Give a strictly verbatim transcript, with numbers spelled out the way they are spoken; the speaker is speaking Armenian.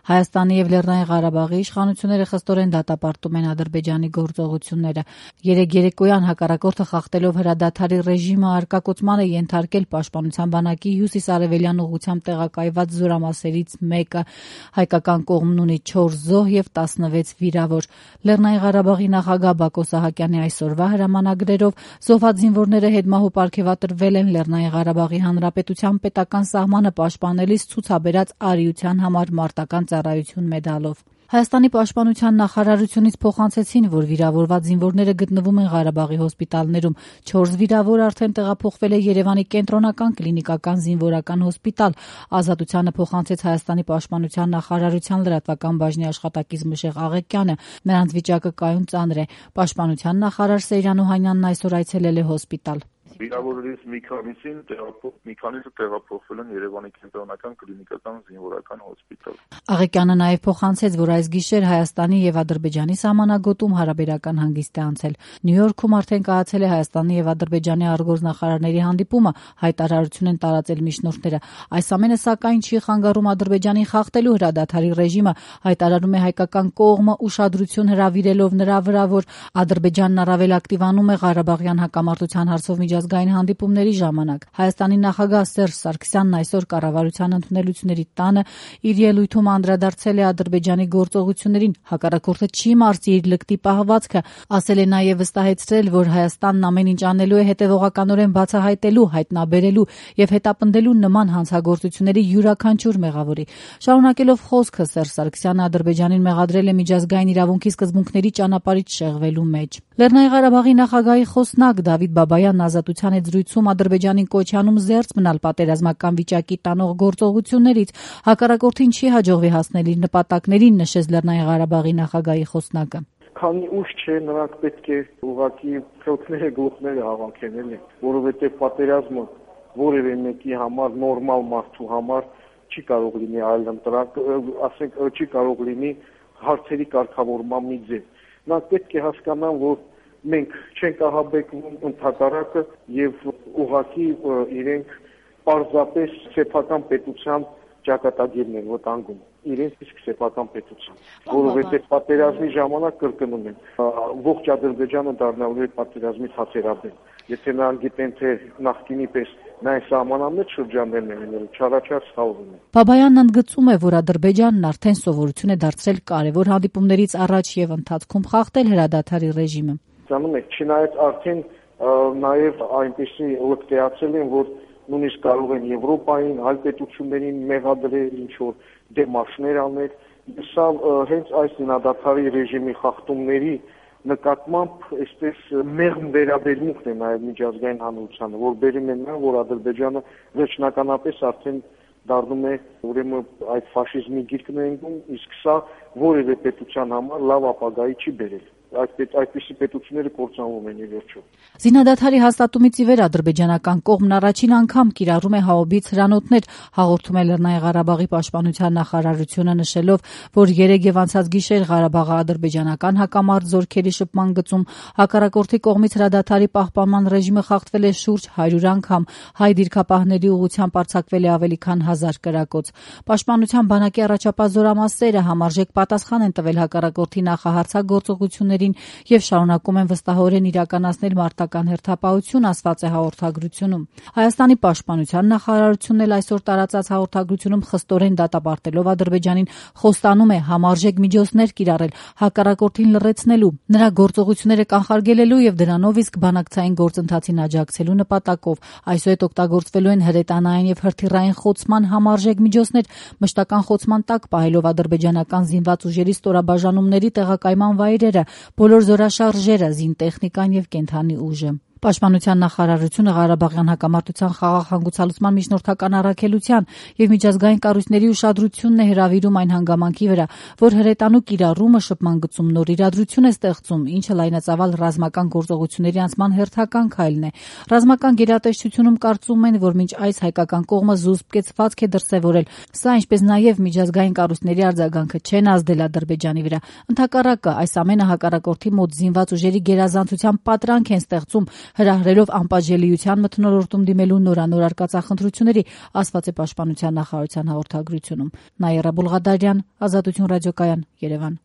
Հայաստանի եւ Լեռնային Ղարաբաղի իշխանությունները խստորեն դատապարտում են Ադրբեջանի գործողությունները։ Երեկ երեկոյան հակառակորդը խախտելով հրադադարի ռեժիմը արկակոծման է ենթարկել Պաշտպանության բանակի հյուսիս-արևելյան ուղղությամբ տեղակայված զորամասերից մեկը։ Հայկական կողմն ունի չորս զոհ եւ տասնվեց վիրավոր։ Լեռնային Ղարաբաղի նախագահ Բակո Սահակյանի այսօրվա հրամանագրերով զոհված զինվորները հետմահու պարգևատրվել են Լեռնային Ղարաբաղի Հանրապետության պետական սահմանը պաշտպանելիս ցուցաբերած արիության համար մարտական ծառայություն մեդալով։ Հայաստանի պաշտպանության նախարարությունից փոխանցեցին, որ վիրավորված զինվորները գտնվում են Ղարաբաղի հոսպիտալներում։ Չորս վիրավոր արդեն տեղափոխվել է Երևանի կենտրոնական կլինիկական զինվորական հոսպիտալ։ Ազատությանը փոխանցեց Հայաստանի պաշտպանության նախարարության լրատվական բաժնի աշխատակից Մշեղ Աղեկյանը։ Նրանց վիճակը կայուն ծանր է։ Պաշտպանության նախարար Սեյրան Օհանյանն այսօր այցելել է հոսպիտալ։ Վիրավորներից մի քանիսին մի քանիսը տեղափոխվել են Երևանի կենտրոնական կլինիկական զինվորական հոսպիտալ։ Աղեկյանը նաև փոխանցեց, որ այս գիշեր Հայաստանի եւ Ադրբեջանի սահմանագոտում հարաբերական հանգիստ է անցել։ Նյու Յորքում արդեն կայացել է Հայաստանի եւ Ադրբեջանի արտգործնախարարների հանդիպումը, հայտարարություն են տարածել միջնորդները։ Այս ամենը սակայն չի խանգարում Ադրբեջանին խախտելու հրադադարի ռեժիմը, հայտարարում է հայկական կողմը ուշադրություն հրավիրելով նրա վրա, որ Ադրբեջանն առավել ակտիվանում է Ղարաբաղյան հակամարտության հարցով միջազգային հանդիպումների ժամանակ։ Հայաստանի նախագահ Սերժ Սարգսյանն այսօր կառավարության ընդունելությունների տանը իր ելույթում անդրադարձել է Ադրբեջանի գործողություններին, հակառակորդը չի մարզի իր լկտի պահվածքը, ասել է նաև վստահեցրել, որ Հայաստանն ամեն ինչ անելու է հետևողականորեն բացահայտելու, հայտնաբերելու եւ հետապնդելու նման հանցագործությունների յուրաքանչյուր մեղավորի։ Շարունակելով խոսքը Սերժ Սարգսյանը Ադրբեջանին մեղադրել է միջազգային իրավունքի սկզբունքների ճանապարհից շեղվելու մեջ։ Լեռնային Ղարաբաղի նախագահի խոսնակ Դավիթ Բաբայանն ազատության հետ զրույցում Ադրբեջանին կոչ անում զերծ մնալ պատերազմական վիճակի տանող գործողություններից, հակառակորդին չի հաջողվի հասնել իր նպատակներին, նշեց Լեռնային Ղարաբաղի նախագահի խոսնակը։ Քանի ուշ չէ, նրանք պետք է ուղղակի խելքները գլուխները հավաքեն, էլի, որովհետև պատերազմը որևէ մեկի համար, նորմալ մարդու համար չի կարող լինի այլ ընտրակ, ասենք, չի կարող լինի հարցերի կարգավորման մի ձև։ Նրանք պետք է հասկանան, որ մենք չենք ահաբեկվում, ընդհակառակը եւ ուղղակի իրենք պարզապես սեփական պետության ճակատագիրն են վտանգում, իրենց իսկ սեփական պետության, որովհետեւ պատերազմի ժամանակ կրկնում են, ողջ Ադրբեջանը դառնալու է պատերազմի ցածերաբեմ։ Եթե նրանք գիտեն, թե նախկինի պես նայ սահմանամեջ շրջաններն են լինելու, չարաչար սխալվում են։ Բաբայանն ընդգծում է, որ Ադրբեջանն արդեն սովորություն է դարձրել կարևոր հանդիպումներից առաջ եւ ընթացքում խախտել հրադադարի ռեժիմը։ Չնայած արդեն նաև այնպեսի լկտեացել են, որ նույնիսկ կարող են Եվրոպային, այլ պետություններին մեղադրել, ինչ-որ դեմարշներ անել։ Սա հենց այս հրադադարի ռեժիմի խախտումների նկատմամբ այսպես մեղմ վերաբերմունքն է նաև միջազգային հանրությանը, որ բերում են նա, որ Ադրբեջանը վերջնականապես արդեն դառնում է ուրեմն այդ ֆաշիզմի գիրկն է ընկնում, իսկ սա որևէ պետության համար լավ ապագայի չի բերել։ Այդպիսի պետությունները կործանվում են ի վերջո։ Զինադադարի հաստատումից ի վեր ադրբեջանական կողմն առաջին անգամ կիրառում է հաուբից հրանոթներ, հաղորդում է Լեռնային Ղարաբաղի պաշտպանության նախարարությունը, նշելով, որ երեկ եւ անցած գիշեր Ղարաբաղը ադրբեջանական հակամարտ զորքերի շփման գծում հակառակորդի կողմից հրադադարի պահպանման ռեժիմը խախտվել է շուրջ հարյուր անգամ, հայ դիրքապահների ուղղությամբ արձակվել է ավելի քան հազար կրակոց։ Պաշտպանության բանակի առաջապահ զորամասերը համարժեք պատասխան են տվել հակառակորդի նախահարցագործողությունների եւ շարունակում են վստահորեն իրականացնել մարտական հերթապահություն, ասված է հաղորդագրությունում։ Հայաստանի պաշտպանության նախարարությունն էլ այսօր տարածած հաղորդագրությունում խստորեն դատապարտելով Ադրբեջանին խոստանում է համարժեք միջոցներ կիրառել հակառակորդին լռեցնելու, նրա գործողությունները կանխարգելելու եւ դրանով իսկ բանակցային գործընթացին աջակցելու նպատակով։ Այսուհետ օգտագործվելու են հրետանային եւ հրթիռային խոցման համարժեք միջոցներ, մշտական խոցման տակ պահելով ադրբեջանական զինված ուժերի ստորաբաժանումների տեղակայման վայրերը, բոլոր զորաշարժերը, զինտեխնիկան եւ կենթանի ուժը։ Պաշտպանության նախարարությունը Ղարաբաղյան հակամարտության խաղաղ հանգուցալուծման միջնորդական առաքելության եւ միջազգային կառույցների ուշադրությունն է հրավիրում այն հանգամանքի վրա, որ հրետանու կիրառումը շփման գծում նոր իրադրություն է ստեղծում, ինչը լայնածավալ ռազմական գործողությունների անցման հերթական քայլն է։ Ռազմական գերատեսչությունում կարծում են, որ մինչ այս հայկական կողմը զուսպ կեցվածք է դրսևորել, սա ինչպես նաեւ միջազգային կառույցների արձագանքը չեն ազդել Ադրբեջանի վրա։ Ընդհակառակը, այս ամենը հակառակորդի մոտ զինված ուժերի գերազանցության պատրանք են ստեղծում, Հրահրելով անպատժելիության մթնոլորտում դիմելու նորանոր արկածախնդրությունների, ասված է Պաշտպանության նախարարության հաղորդագրությունում։ Նաիրա Բուլղադարյան, Ազատություն ռադիոկայան, Երևան։